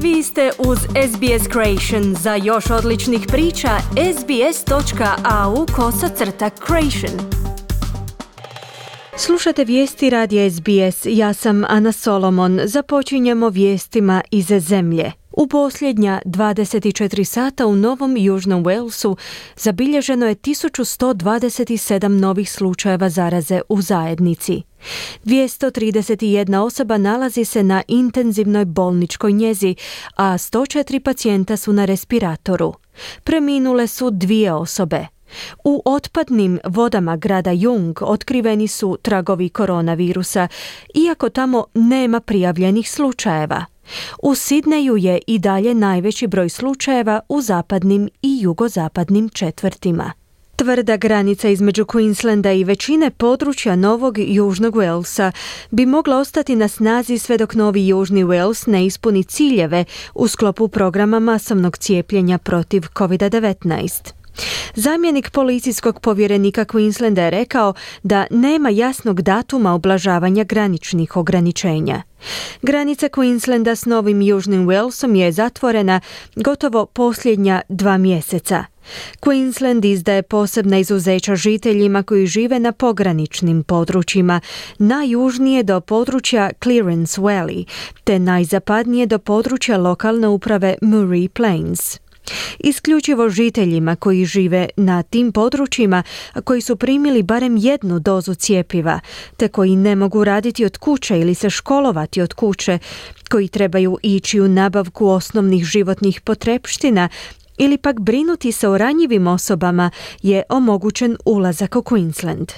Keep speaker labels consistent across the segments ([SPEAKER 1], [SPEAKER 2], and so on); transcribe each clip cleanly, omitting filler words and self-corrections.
[SPEAKER 1] Vi ste uz SBS Creation. Za još odličnih priča, sbs.au/creation. Slušate vijesti radija SBS. Ja sam Ana Solomon. Započinjemo vijestima iz zemlje. U posljednja 24 sata u Novom Južnom Walesu zabilježeno je 1127 novih slučajeva zaraze u zajednici. 231 osoba nalazi se na intenzivnoj bolničkoj njezi, a 104 pacijenta su na respiratoru. Preminule su 2 osobe. U otpadnim vodama grada Jung otkriveni su tragovi koronavirusa, iako tamo nema prijavljenih slučajeva. U Sidneju je i dalje najveći broj slučajeva u zapadnim i jugozapadnim četvrtima. Tvrda granica između Queenslanda i većine područja Novog Južnog Walesa bi mogla ostati na snazi sve dok Novi Južni Wales ne ispuni ciljeve u sklopu programa masovnog cijepljenja protiv COVID-19. Zamjenik policijskog povjerenika Queenslanda je rekao da nema jasnog datuma ublažavanja graničnih ograničenja. Granica Queenslanda s Novim Južnim Walesom je zatvorena gotovo posljednja 2 mjeseca. Queensland izdaje posebna izuzeća žiteljima koji žive na pograničnim područjima, najjužnije do područja Clearance Valley, te najzapadnije do područja lokalne uprave Murray Plains. Isključivo žiteljima koji žive na tim područjima, koji su primili barem 1 dozu cjepiva, te koji ne mogu raditi od kuće ili se školovati od kuće, koji trebaju ići u nabavku osnovnih životnih potrepština ili pak brinuti se o ranjivim osobama, je omogućen ulazak u Queensland.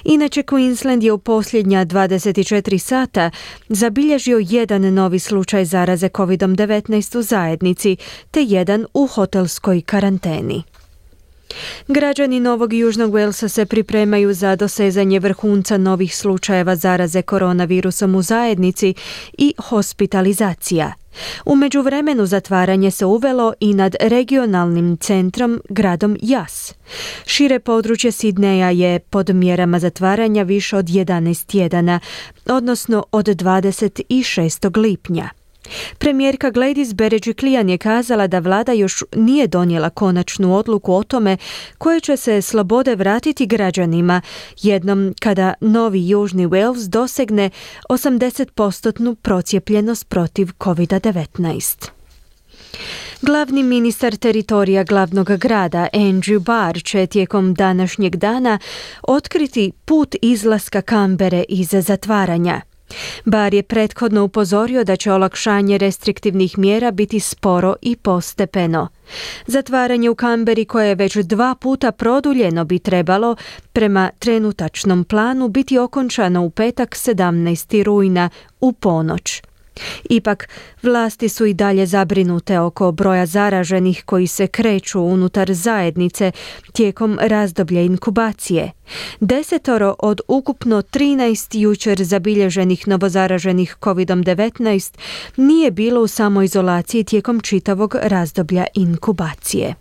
[SPEAKER 1] Inače, Queensland je u posljednja 24 sata zabilježio 1 novi slučaj zaraze COVID-19 u zajednici, te 1 u hotelskoj karanteni. Građani Novog Južnog Walesa se pripremaju za dosezanje vrhunca novih slučajeva zaraze koronavirusom u zajednici i hospitalizacija. U međuvremenu zatvaranje se uvelo i nad regionalnim centrom, gradom Yass. Šire područje Sidneja je pod mjerama zatvaranja više od 11 tjedana, odnosno od 26. lipnja. Premijerka Gladys Berejiklian je kazala da vlada još nije donijela konačnu odluku o tome koje će se slobode vratiti građanima jednom kada Novi Južni Wales dosegne 80% procijepljenost protiv COVID-19. Glavni ministar teritorija glavnog grada Andrew Barr će tijekom današnjeg dana otkriti put izlaska Canberre iz zatvaranja. Barr je prethodno upozorio da će olakšanje restriktivnih mjera biti sporo i postepeno. Zatvaranje u Canberri, koje je već 2 puta produljeno, bi trebalo, prema trenutačnom planu, biti okončano u petak 17. rujna u ponoć. Ipak, vlasti su i dalje zabrinute oko broja zaraženih koji se kreću unutar zajednice tijekom razdoblja inkubacije. 10 od ukupno 13 jučer zabilježenih novozaraženih COVID-19 nije bilo u samoizolaciji tijekom čitavog razdoblja inkubacije.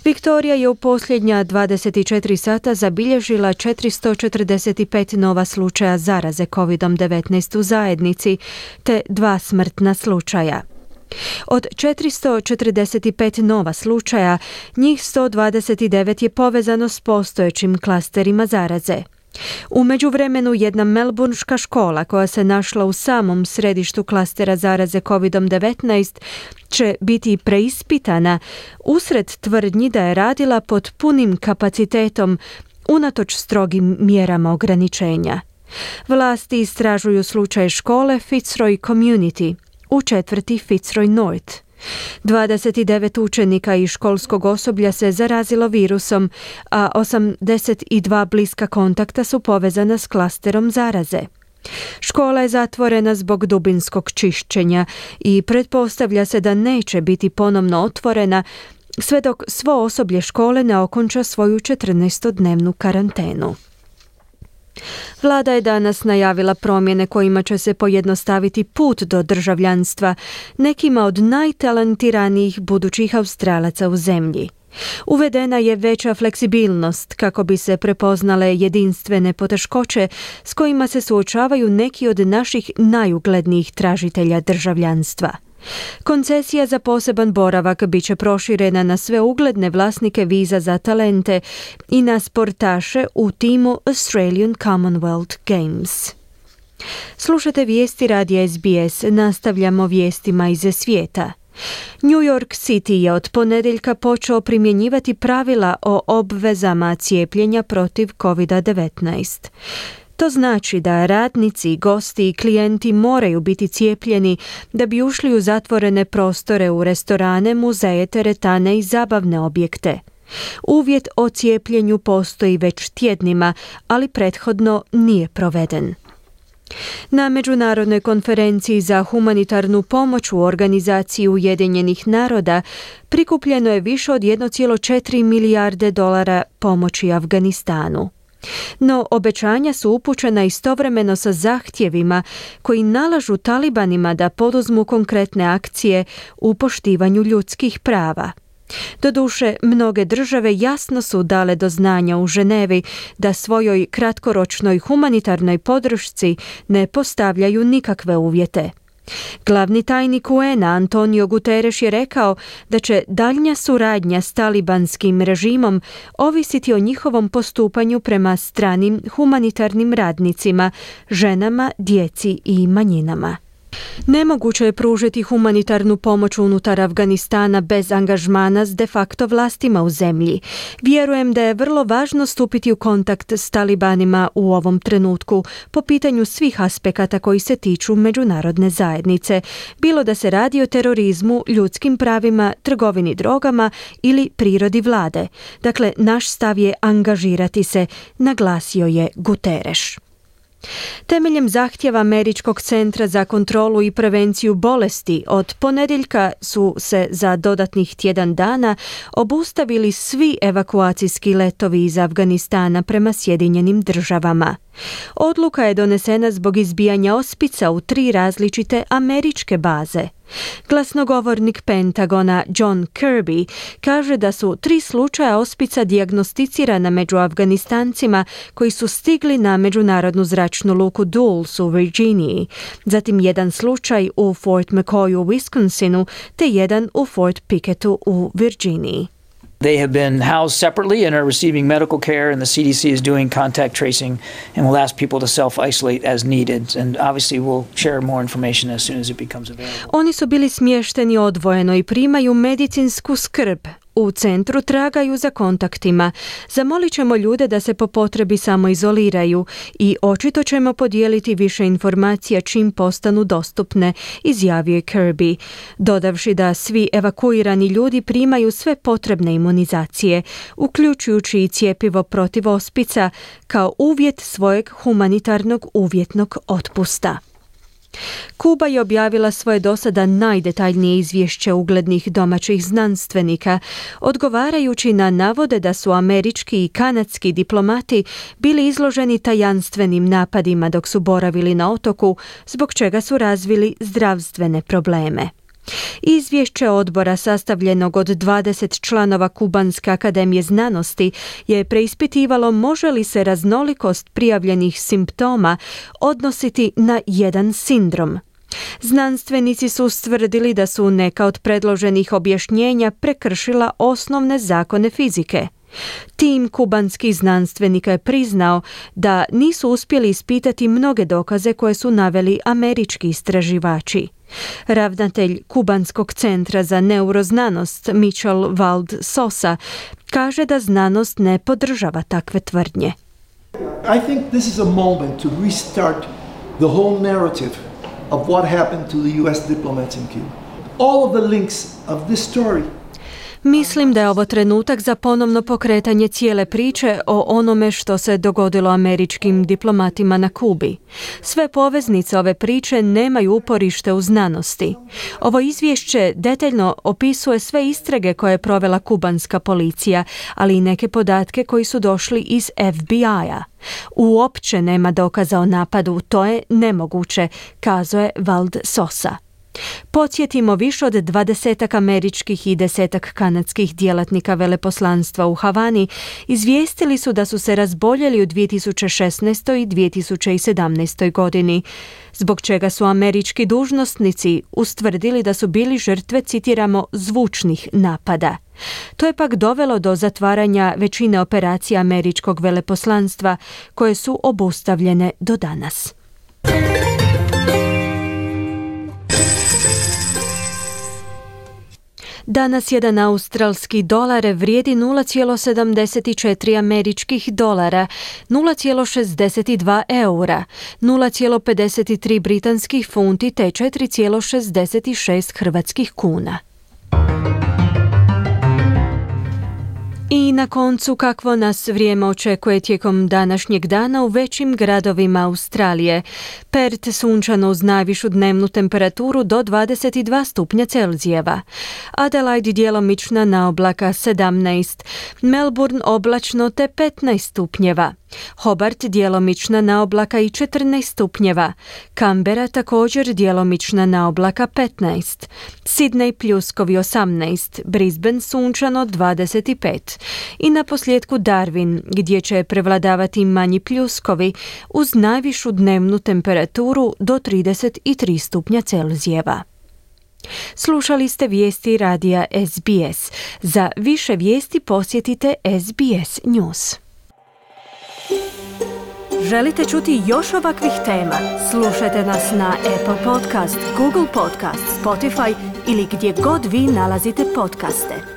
[SPEAKER 1] Viktorija je u posljednja 24 sata zabilježila 445 nova slučaja zaraze COVID-19 u zajednici, te 2 smrtna slučaja. Od 445 nova slučaja, njih 129 je povezano s postojećim klasterima zaraze. U međuvremenu, jedna melburnška škola koja se našla u samom središtu klastera zaraze COVID-19 će biti preispitana usred tvrdnji da je radila pod punim kapacitetom unatoč strogim mjerama ograničenja. Vlasti istražuju slučaj škole Fitzroy Community u četvrti Fitzroy North. 29 učenika i školskog osoblja se zarazilo virusom, a 82 bliska kontakta su povezana s klasterom zaraze. Škola je zatvorena zbog dubinskog čišćenja i pretpostavlja se da neće biti ponovno otvorena sve dok svo osoblje škole ne okonča svoju 14-dnevnu karantenu. Vlada je danas najavila promjene kojima će se pojednostaviti put do državljanstva nekima od najtalentiranijih budućih Australaca u zemlji. Uvedena je veća fleksibilnost kako bi se prepoznale jedinstvene poteškoće s kojima se suočavaju neki od naših najuglednijih tražitelja državljanstva. Koncesija za poseban boravak bit će proširena na sve ugledne vlasnike viza za talente i na sportaše u timu Australian Commonwealth Games. Slušate vijesti radija SBS, nastavljamo vijestima iz svijeta. New York City je od ponedjeljka počeo primjenjivati pravila o obvezama cijepljenja protiv COVID-19. To znači da radnici, gosti i klijenti moraju biti cijepljeni da bi ušli u zatvorene prostore u restorane, muzeje, teretane i zabavne objekte. Uvjet o cijepljenju postoji već tjednima, ali prethodno nije proveden. Na Međunarodnoj konferenciji za humanitarnu pomoć u Organizaciji Ujedinjenih naroda prikupljeno je više od 1,4 milijarde dolara pomoći Afganistanu. No, obećanja su upućena istovremeno sa zahtjevima koji nalažu talibanima da poduzmu konkretne akcije u poštivanju ljudskih prava. Doduše, mnoge države jasno su dale do znanja u Ženevi da svojoj kratkoročnoj humanitarnoj podršci ne postavljaju nikakve uvjete. Glavni tajnik UN-a Antonio Guterres je rekao da će daljnja suradnja s talibanskim režimom ovisiti o njihovom postupanju prema stranim humanitarnim radnicima, ženama, djeci i manjinama. Nemoguće je pružiti humanitarnu pomoć unutar Afganistana bez angažmana s de facto vlastima u zemlji. Vjerujem da je vrlo važno stupiti u kontakt s talibanima u ovom trenutku po pitanju svih aspekata koji se tiču međunarodne zajednice, bilo da se radi o terorizmu, ljudskim pravima, trgovini drogama ili prirodi vlade. Dakle, naš stav je angažirati se, naglasio je Guterres. Temeljem zahtjeva Američkog centra za kontrolu i prevenciju bolesti od ponedjeljka su se za dodatnih tjedan dana obustavili svi evakuacijski letovi iz Afganistana prema Sjedinjenim državama. Odluka je donesena zbog izbijanja ospica u 3 različite američke baze. Glasnogovornik Pentagona John Kirby kaže da su 3 slučaja ospica dijagnosticirana među Afganistancima koji su stigli na međunarodnu zračnu luku Dulles u Virginiji, zatim 1 slučaj u Fort McCoyu u Wisconsinu te 1 u Fort Pickettu u Virginiji.
[SPEAKER 2] They have been housed separately and are receiving medical care, and the CDC is doing contact tracing and will ask people to self-isolate as needed. And obviously we'll share more information as soon as it becomes available.
[SPEAKER 1] Oni su bili smješteni odvojeno i primaju medicinsku skrb. U centru tragaju za kontaktima. Zamolit ćemo ljude da se po potrebi samoizoliraju i očito ćemo podijeliti više informacija čim postanu dostupne, izjavio je Kirby, dodavši da svi evakuirani ljudi primaju sve potrebne imunizacije, uključujući i cjepivo protiv ospica, kao uvjet svojeg humanitarnog uvjetnog otpusta. Kuba je objavila svoje dosada najdetaljnije izvješće uglednih domaćih znanstvenika, odgovarajući na navode da su američki i kanadski diplomati bili izloženi tajanstvenim napadima dok su boravili na otoku, zbog čega su razvili zdravstvene probleme. Izvješće odbora sastavljenog od 20 članova Kubanske akademije znanosti je preispitivalo može li se raznolikost prijavljenih simptoma odnositi na jedan sindrom. Znanstvenici su ustvrdili da su neka od predloženih objašnjenja prekršila osnovne zakone fizike. Tim kubanskih znanstvenika je priznao da nisu uspjeli ispitati mnoge dokaze koje su naveli američki istraživači. Ravnatelj Kubanskog centra za neuroznanost Michel Wald Sosa kaže da znanost ne podržava takve tvrdnje.
[SPEAKER 3] I think this is a moment to restart the whole narrative of what happened to the US diplomats in Cuba. All of the links of this story.
[SPEAKER 1] Mislim da je ovo trenutak za ponovno pokretanje cijele priče o onome što se dogodilo američkim diplomatima na Kubi. Sve poveznice ove priče nemaju uporište u znanosti. Ovo izvješće detaljno opisuje sve istrage koje je provela kubanska policija, ali i neke podatke koji su došli iz FBI-a. Uopće nema dokaza o napadu, to je nemoguće, kazao je Wald Sosa. Podsjetimo, više od 20 američkih i 10 kanadskih djelatnika veleposlanstva u Havani izvijestili su da su se razboljeli u 2016. i 2017. godini, zbog čega su američki dužnosnici ustvrdili da su bili žrtve, citiramo, zvučnih napada. To je pak dovelo do zatvaranja većine operacija američkog veleposlanstva, koje su obustavljene do danas. Danas jedan australski dolar vrijedi 0,74 američkih dolara, 0,62 eura, 0,53 britanskih funti te 4,66 hrvatskih kuna. I na koncu, kakvo nas vrijeme očekuje tijekom današnjeg dana u većim gradovima Australije. Perth sunčano uz najvišu dnevnu temperaturu do 22 stupnja Celzijeva. Adelaide djelomična na oblaka 17, Melbourne oblačno te 15 stupnjeva. Hobart djelomična na oblaka i 14 stupnjeva. Canberra također djelomična na oblaka 15. Sydney pljuskovi 18, Brisbane sunčano 25. I na posljedku Darwin, gdje će prevladavati manji pljuskovi uz najvišu dnevnu temperaturu do 33 stupnja Celzijeva. Slušali ste vijesti radija SBS. Za više vijesti posjetite SBS News. Želite čuti još ovakvih tema? Slušajte nas na Apple Podcast, Google Podcast, Spotify ili gdje god vi nalazite podcaste.